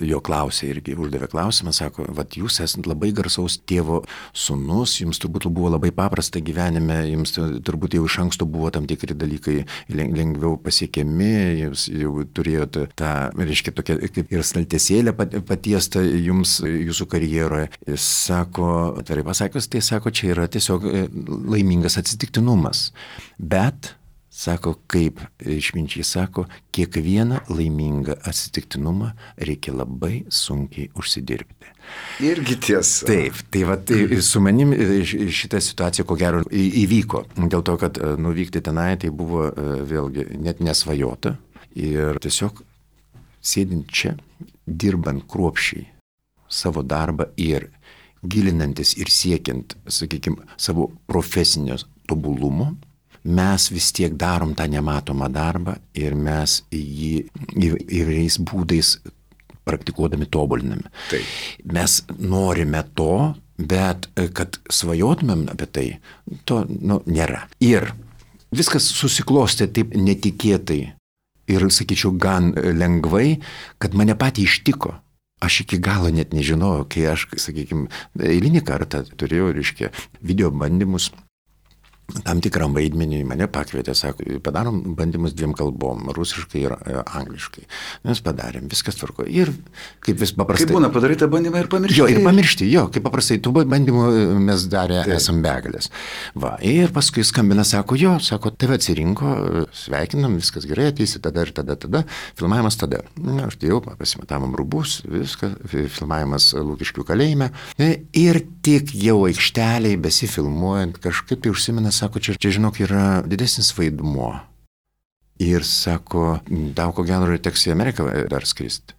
Jo klausė irgi, uždavė klausimą, sako, vat jūs esate labai garsaus tėvo sūnus, jums turbūt buvo labai paprasta gyvenime, jums turbūt jau iš anksto buvo tam tikri dalykai lengviau pasiekiami, jūs jau turėjote tą, reiškia, tokia kaip ir staltiesėlę patiestą jums jūsų karjeroje. Jis sako, atvirai pasakius, tai sako, čia yra tiesiog laimingas atsitiktinumas. Bet sako, kaip išminčiai sako, kiekvieną laimingą atsitiktinumą reikia labai sunkiai užsidirbti. Irgi tiesa. Taip, tai su manim šitą situaciją ko gero įvyko. Dėl to, kad nuvykti tenai tai buvo vėlgi net nesvajota. Ir tiesiog sėdint čia, dirbant kruopščiai savo darbą ir gilinantis ir siekiant, sakykime, savo profesinio tobulumo, mes vis tiek darom tą nematomą darbą ir mes jį įvairiais būdais praktikuodami tobuliname. Taip. Mes norime to, bet kad svajotumėm apie tai, to nėra. Ir viskas susiklostė taip netikėtai ir, sakyčiau, gan lengvai, kad mane patį ištiko. Aš iki galo net nežinojau, kai aš, sakykime, eilinį kartą turėjau, reiškia, video bandymus, tam tikram vaidmenį mane pakvietė, sako, padarom bandymus 2 kalbom, rusiškai ir angliškai. Mes padarėm, viskas tvarko. Ir kaip vis paprastai. Kaip būna padaryti bandymą ir pamiršti. Jo, ir pamiršti, kaip paprastai, tų bandymų mes darė esam begalės. Va, ir paskui skambina, sako, tave atsirinko, sveikinam, viskas gerai, ateisi tada ir tada, filmavimas tada. Aš tai jau pasimatavom rūbus, viskas, filmavimas Lukiškių kalėjime. Ir tik jau aikšteliai besifilmuojant, kažkaip tai užsimena, sako, čia žinok, yra didesnis vaidmuo. Ir sako, tau ko gero teks į Ameriką dar skristi.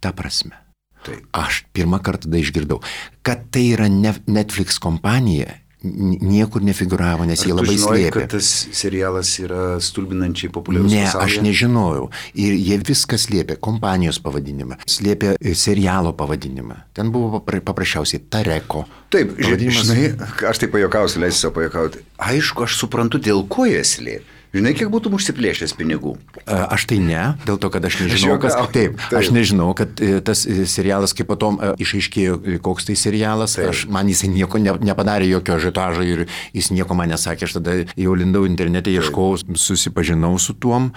Ta prasme. Taip. Aš pirmą kartą tada išgirdau, kad tai yra Netflix kompanija, niekur nefiguravo, nes jie labai slėpė. Kad tas serialas yra stulbinančiai populiarus pasaulyje? Ne, aš nežinojau. Ir jie viską slėpė, kompanijos pavadinimą, slėpė serialo pavadinimą. Ten buvo paprasčiausiai Tareko. Taip, žinai, aš tai pajuokausiu, leisiu savo pajuokauti. Aišku, aš suprantu, dėl ko jie slėpė. Žinai, kiek būtum užsiplėšęs pinigų? Aš tai ne, dėl to, kad aš nežinau, aš nežinau, kad tas serialas, kaip potom išaiškėjo, koks tai serialas, man jisai nieko nepadarė, jokio ažiotažo ir jis nieko man nesakė, aš tada jau lindau internete, ieškojau, susipažinau su tuom,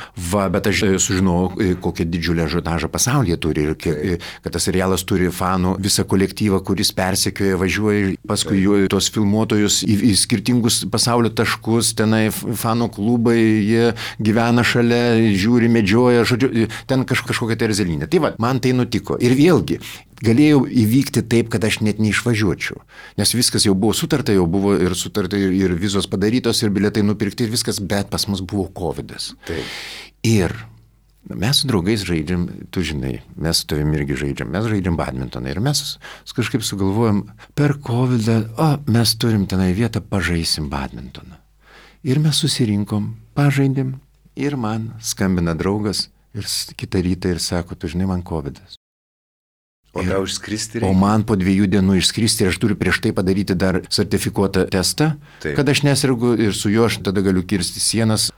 bet aš sužinojau, kokią didžiulę ažiotažą pasaulyje turi ir kad tas serialas turi fanų, visą kolektyvą, kuris persekioja, važiuoja, paskui tos filmuotojus į skirtingus pasaulio taškus, tenai fanų klubai, jie gyvena šalia, žiūri, medžioja, žodžiu, ten kažkokia tai erzelinė. Tai va, man tai nutiko. Ir vėlgi, galėjau įvykti taip, kad aš net neišvažiuočiau. Nes viskas jau buvo sutarta, ir vizos padarytos, ir bilietai nupirkti, ir viskas, bet pas mus buvo covidas. Taip. Ir mes su draugais žaidžiam, tu žinai, mes su tavimi irgi žaidžiam, mes žaidžiam badmintoną ir mes kažkaip sugalvojam, per covidą, mes turim tenai vietą, pažaisim badmintoną. Ir mes susirinkom, pažaidėm ir man skambina draugas ir kitą rytą ir sako, tu žinai, man covidas. O tau išskristi reikia? O man po 2 dienų išskristi ir aš turiu prieš tai padaryti dar sertifikuotą testą, kad aš nesirgu ir su juo aš tada galiu kirsti sienas.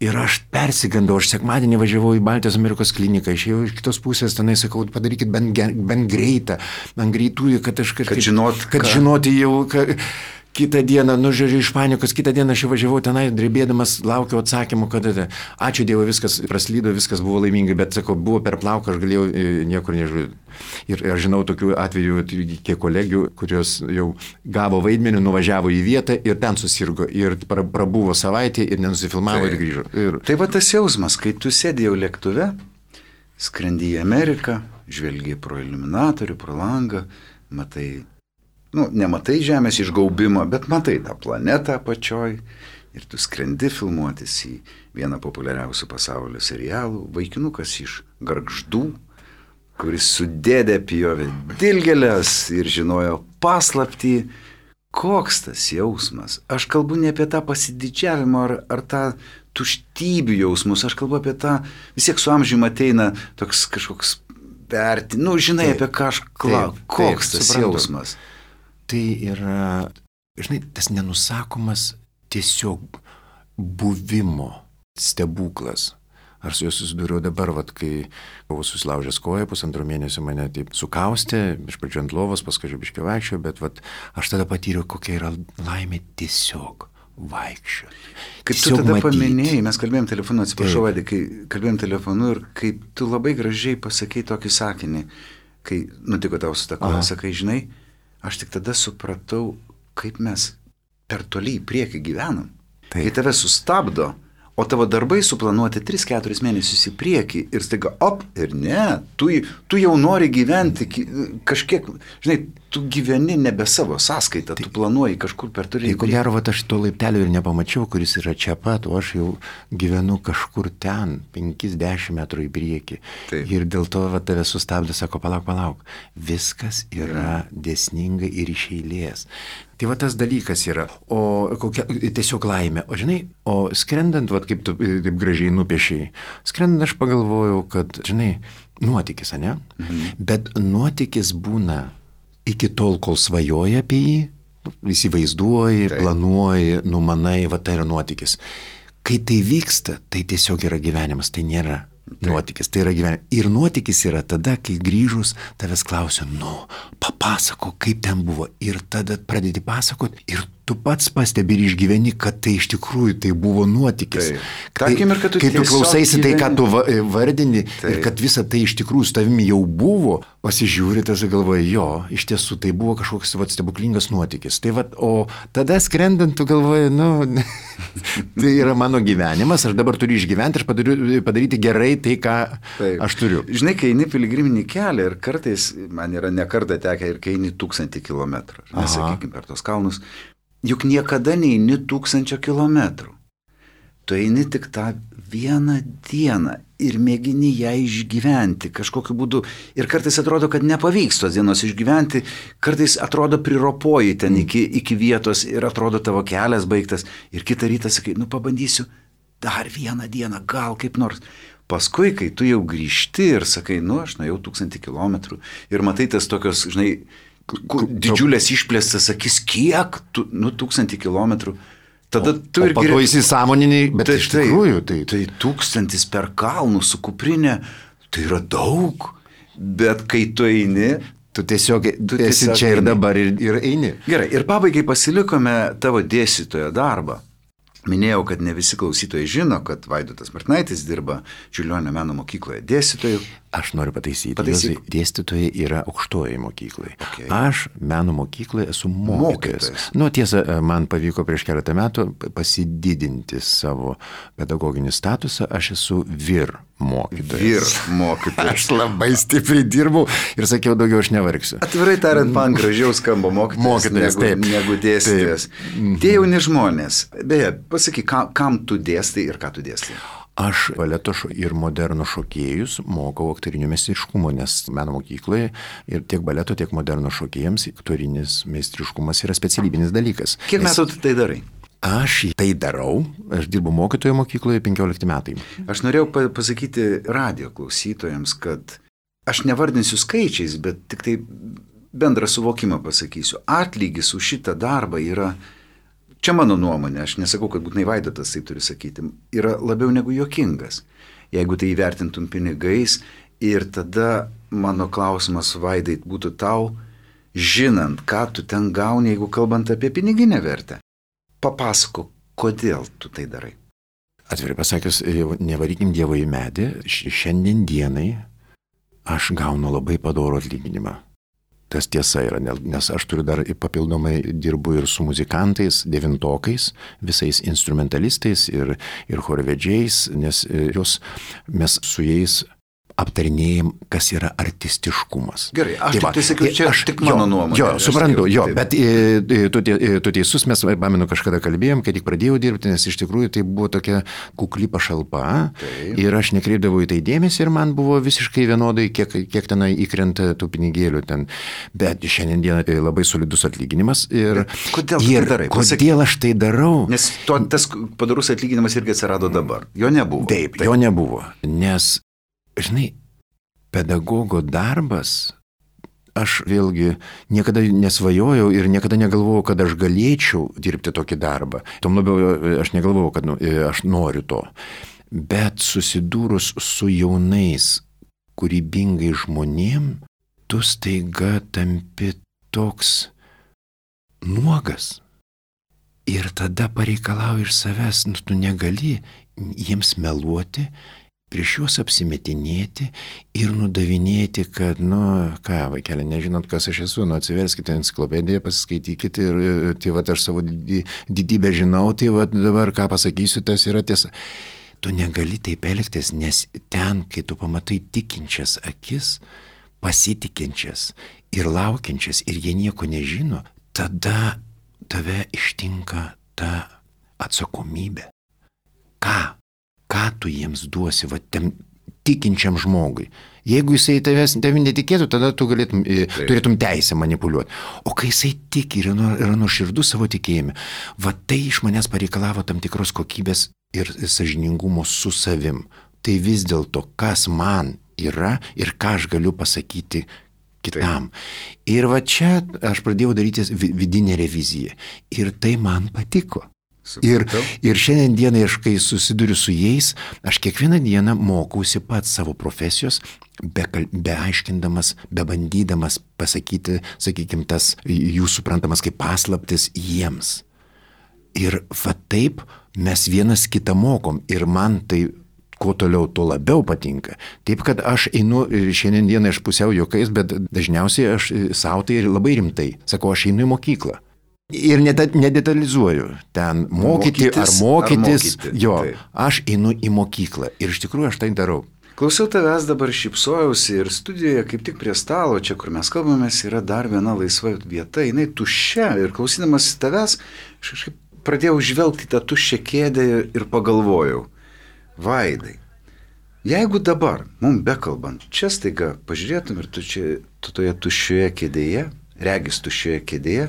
Ir aš persigandau, aš sekmadienį važiavau į Baltijos Amerikos kliniką, išėjau iš kitos pusės, tenai sakau, padarykit bent greitą, ant greitųjų, kad aš kažkaip... Kad žinoti jau... Kitą dieną, žiūrėjau iš panikos, kitą dieną aš važiavau tenai, drebėdamas, laukiau atsakymų, kad ačiū Dievui, viskas praslydo, viskas buvo laimingai, bet, sakau, buvo per plauką, aš galėjau niekur nežiūrėti. Ir aš žinau tokių atvejų, kiek kolegių, kurios jau gavo vaidmenį, nuvažiavo į vietą ir ten susirgo. Ir prabuvo savaitę ir nenusifilmavo ir grįžo. Tai va tas jausmas, kai tu sėdi jau lėktuve, skrendi į Ameriką, žvelgi pro iluminatorių, pro langą, matai, nematai Žemės išgaubimo, bet matai tą planetą apačioj ir tu skrendi filmuotis į vieną populiariausių pasaulio serialų, vaikinukas iš Gargždų, kuris su dėdė pjovė dilgėlės ir žinojo paslaptį. Koks tas jausmas? Aš kalbu ne apie tą pasididžiavimą ar tą tuštybių jausmus, aš kalbu apie tą, vis tiek su amžiumi ateina toks kažkoks žinai, apie ką aš klausiu. Koks tas jausmas? Tai yra, žinai, tas nenusakomas tiesiog buvimo stebuklas. Ar su juo susidūriau dabar, kai buvau susilaužęs koją, 1,5 mėnesio mane taip sukaustė, iš pradžių ant lovos, paskui biškį vaikščiau, bet aš tada patyriau, kokia yra laimė tiesiog vaikščioti. Kaip tu tada paminėjai, mes kalbėjom telefonu, atsiprašau, Vaidai, kai kalbėjom telefonu ir kaip tu labai gražiai pasakei tokį sakinį, kai nutiko tau su ta koja, sakai, žinai, aš tik tada supratau, kaip mes per toli į priekį gyvenam. Kai tave sustabdo, o tavo darbai suplanuoti 3-4 mėnesius į priekį ir staiga, ir ne, tu jau nori gyventi kažkiek, žinai, tu gyveni nebe savo sąskaitą, tu planuoji kažkur per toli. Tai ko gero, aš to laiptelio ir nepamačiau, kuris yra čia pat, o aš jau gyvenu kažkur ten, 5-10 metrų į priekį. Taip. Ir dėl to tave sustabdė, sako, palauk, viskas yra dėsningai ir iš eilės. Tai tas dalykas yra, o kokia tiesiog laimė. O žinai, skrendant, kaip tu taip gražiai nupiešiai, skrendant aš pagalvojau, kad, žinai, nuotykis, ane? Bet nuotykis būna iki tol, kol svajoji apie jį, įsivaizduoji, planuoji, numanai, tai yra nuotykis. Kai tai vyksta, tai tiesiog yra gyvenimas, tai nėra nuotykis, tai yra gyvenimas. Ir nuotykis yra tada, kai grįžus tavęs klausia, papasako, kaip ten buvo. Ir tada pradedi pasakot ir tu pats pastebi ir išgyveni, kad tai iš tikrųjų tai buvo nuotykis. Kai tu klausaisi tai, ką tu vardini ir kad visa tai iš tikrųjų su tavimi jau buvo, pasižiūri, tas galvoji, iš tiesų tai buvo kažkoks stebuklingas nuotykis. O tada skrendant tu galvoji, tai yra mano gyvenimas, aš dabar turiu išgyventi ir padaryti gerai tai, ką aš turiu. Žinai, kai eini piligriminį kelią ir kartais, man yra ne kartą tekę ir kai eini 1000 kilometrų, nesakykime per tos kalnus, juk niekada neini 1000 kilometrų. Tu eini tik tą vieną dieną ir mėgini ją išgyventi kažkokiu būdu. Ir kartais atrodo, kad nepavyks tos dienos išgyventi, kartais atrodo priropoji ten iki vietos ir atrodo tavo kelias baigtas. Ir kitą rytą sakai, pabandysiu dar vieną dieną, gal kaip nors. Paskui, kai tu jau grįžti ir sakai, aš nuėjau 1000 kilometrų ir matai tas tokios, žinai, didžiulės išplėstas akis, kiek, 1000 kilometrų. Tada tu ir geriau įsisąmoniniai, bet iš tikrųjų tai 1000 per kalnų su kuprinė, tai yra daug, bet kai tu eini, tu tiesiog esi čia ir dabar ir eini. Gerai, ir pabaigai pasilikome tavo dėstytojo darbą. Minėjau, kad ne visi klausytojai žino, kad Vaidotas Martinaitis dirba Čiurlionio meno mokykloje dėstytoju. Aš noriu pataisyti. Dėstytojai yra aukštojoje mokykloje. Okay. Aš meno mokykloje esu mokytojas. Tiesa, man pavyko prieš keletą metų pasididinti savo pedagoginį statusą. Aš esu vyr mokytojas. Aš labai stipriai dirbau ir sakiau, daugiau aš nevargsiu. Atvirai tariant, man gražiau skamba mokytojas negu dėstytojas. Tie jauni žmonės. Beje, pasakyk, kam tu dėstai ir ką tu dėstai? Aš baleto ir moderno šokėjus mokau aktorinio meistriškumo, nes meno mokykloje ir tiek baleto, tiek moderno šokėjams aktorinis meistriškumas yra specialybinis dalykas. Kiek metų tu tai darai? Aš tai darau, aš dirbu mokytojo mokykloje 15 metai. Aš norėjau pasakyti radio klausytojams, kad aš nevardinsiu skaičiais, bet tik tai bendrą suvokimą pasakysiu. Atlygis už šitą darbą yra, čia mano nuomonė, aš nesakau, kad būtinai Vaidotas taip turi sakyti, yra labiau negu juokingas, jeigu tai įvertintum pinigais. Ir tada mano klausimas, Vaidai, būtų tau, žinant, ką tu ten gauni, jeigu kalbant apie piniginę vertę. Papasakok, kodėl tu tai darai. Atvirai pasakius, nevarykim Dievo į medį, šiandien dienai aš gaunu labai padorų atlyginimą. Tas tiesa yra, nes aš turiu dar papildomai dirbu ir su muzikantais, devintokais, visais instrumentalistais ir chorvedžiais, nes mes su jais aptarinėjim, kas yra artistiškumas. Gerai, aš tik sakiau, čia tik mano nuomonė. Jo, suprantu, bet tu teisus, mes, pamenu, kažkada kalbėjom, kai tik pradėjau dirbti, nes iš tikrųjų tai buvo tokia kukli pašalpa ir aš nekreipdavau į tai dėmesį ir man buvo visiškai vienodai, kiek tenai įkrenta tų pinigėlių ten. Bet šiandien dieną tai labai solidus atlyginimas. Ir kodėl tu tai darai? Kodėl aš tai darau? Nes tas padarus atlyginimas irgi atsirado dabar. Jo nebuvo. Taip, jo nebuvo, nes žinai, pedagogo darbas, aš vėlgi niekada nesvajojau ir niekada negalvojau, kad aš galėčiau dirbti tokį darbą. Tom labiau aš negalvojau, kad aš noriu to. Bet susidūrus su jaunais, kūrybingai žmonėm, tu staiga tampi toks nuogas. Ir tada pareikalauji iš savęs, tu negali jiems meluoti, prieš juos apsimetinėti ir nudavinėti, kad, vaikeli, nežinot, kas aš esu, atsiverskite enciklopediją, pasiskaitykite ir tai aš savo didybę žinau, tai dabar ką pasakysiu, tas yra tiesa. Tu negali taip elgtis, nes ten, kai tu pamatai tikinčias akis, pasitikinčias ir laukiančias ir jie nieko nežino, tada tave ištinka ta atsakomybė. Ką tu jiems duosi, tam tikinčiam žmogui? Jeigu jisai tavim netikėtų, tada tu turėtum teisę manipuliuoti. O kai jisai tiki ir yra nuoširdus savo tikėjime, tai iš manęs pareikalavo tam tikros kokybės ir sąžiningumo su savim. Tai vis dėlto, kas man yra ir ką aš galiu pasakyti kitam. Ir čia aš pradėjau daryti vidinę reviziją. Ir tai man patiko. Ir šiandien dienai, kai susiduriu su jais, aš kiekvieną dieną mokausi pats savo profesijos, be aiškindamas, be bandydamas pasakyti, sakykime, tas jų suprantamas kaip paslaptis jiems. Ir taip mes vienas kitą mokom ir man tai kuo toliau, tuo labiau patinka. Taip, kad aš einu, šiandien dieną aš pusiau juokais, bet dažniausiai aš savo tai labai rimtai. Sakau, aš einu į mokyklą. Ir nedetalizuoju, ten mokytis. Aš einu į mokyklą ir iš tikrųjų aš tai darau. Klausiau tavęs, dabar šypsojausi ir studijoje kaip tik prie stalo, čia kur mes kalbamės, yra dar viena laisva vieta, jinai tuščia ir klausydamas tavęs, aš kažkaip pradėjau žvelgti tą tuščią kėdę ir pagalvojau, Vaidai, jeigu dabar, mums bekalbant, čia staiga pažiūrėtum ir tu toje tuščioje kėdėje, regis tuščioje kėdėje,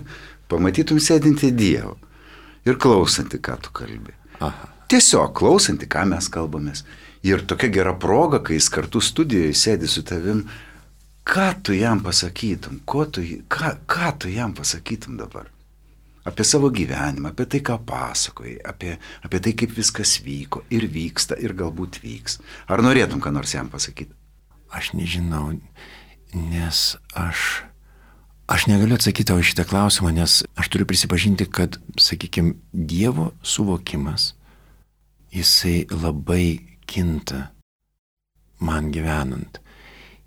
pamatytum sėdinti Dievą ir klausantį, ką tu kalbi. Aha. Tiesiog klausantį, ką mes kalbamės. Ir tokia gera proga, kai jis kartu studijoje sėdi su tavim, ką tu jam pasakytum, ką tu jam pasakytum dabar? Apie savo gyvenimą, apie tai, ką pasakojai, apie tai, kaip viskas vyko ir vyksta ir galbūt vyks. Ar norėtum ką nors jam pasakyti? Aš nežinau, nes Aš negaliu atsakyti tau šitą klausimą, nes aš turiu prisipažinti, kad, sakykime, Dievo suvokimas, jisai labai kinta man gyvenant.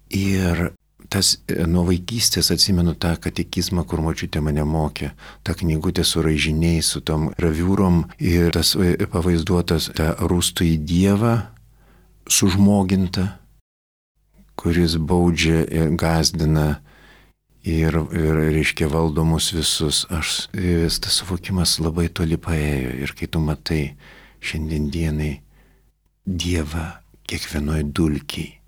Ir tas nuo vaikystės atsimenu tą katekizmą, kur močiutė mane mokė, tą knygutę su raižiniais, su tom graviūrom ir tas pavaizduotas tą rūstų į Dievą sužmoginta, kuris baudžia ir gazdina ir reiškia valdomus visus. Tas suvokimas labai toli paėjo ir kai tu matai šiandien dienai Dievą kiekvienoj dulkiai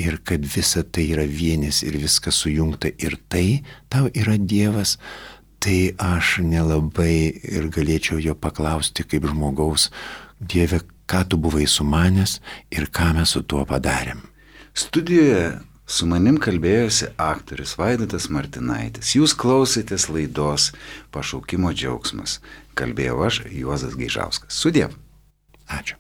ir kad visa tai yra vienis ir viskas sujungta ir tai tau yra Dievas, tai aš nelabai ir galėčiau jo paklausti kaip žmogaus, Dieve, ką tu buvai sumanęs ir ką mes su tuo padarėm. Studijoje su manim kalbėjosi aktorius Vaidotas Martinaitis. Jūs klausėtės laidos Pašaukimo džiaugsmas. Kalbėjau aš, Juozas Gaižauskas. Sudiev. Ačiū.